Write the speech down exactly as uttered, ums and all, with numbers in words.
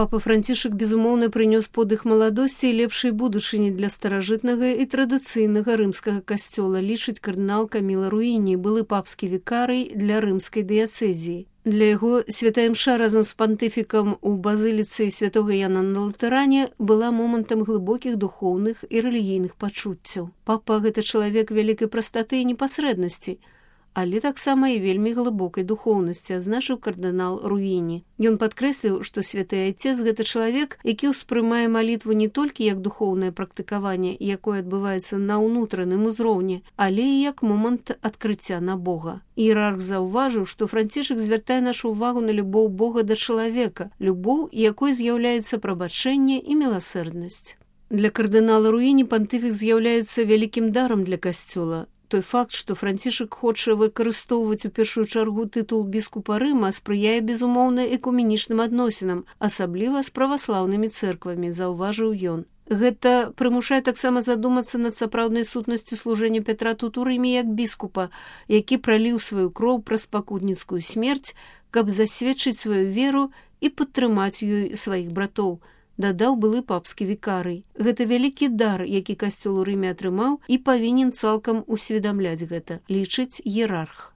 Папа Францішак, безумоўна, прынёс подых маладосці і лепшай будучыні для старажытнага і традыцыйнага рымскага касцёла, лічыць кардынал Каміла Руіні, былы папскі вікарый для рымскай дыяцэзіі. Для яго святая імша разам з пантыфікам у базыліцы святога Яна на Латэране была момантам глыбокіх духоўных і рэлігійных пачуццяў. Папа – гэта чалавек вялікай прастаты і непасрэднасці, але таксама і вельмі глыбокай духоўнасці, азначыў кардынал Руіні. Ён падкрэсліў, што святы айцец – гэта чалавек, які ўспрымае малітву не толькі як духоўнае практыкаванне, якое адбываецца на ўнутраным узроўні, але і як момант адкрыцця на Бога. Іерарх заўважыў, што Францішак звяртае нашу ўвагу на любоў Бога да чалавека, любоў, якой з'яўляецца прабачэнне і міласэрднасць. Для кардынала Руіні пантыфік з'яўляецца вялікім дарам для касцёла. Той факт, што Францішак хоча выкарыстоўваць у першую чаргу тытул біскупа Рыма, спрыяе безумоўна экуменічным адносінам, асабліва з праваслаўнымі цэрквамі, заўважыў ён. Гэта прымушае таксама задумацца над сапраўднай сутнасцю служэння Пятра тут у Рыме як біскупа, які праліў сваю кроў праз пакутніцкую смерць, каб засведчыць сваю веру і падтрымаць ёй сваіх братоў, дадаў былы папскі вікарый. Гэта вялікі дар, які касцёл у Рыме атрымаў і павінен цалкам усведамляць гэта, лічыць іерарх.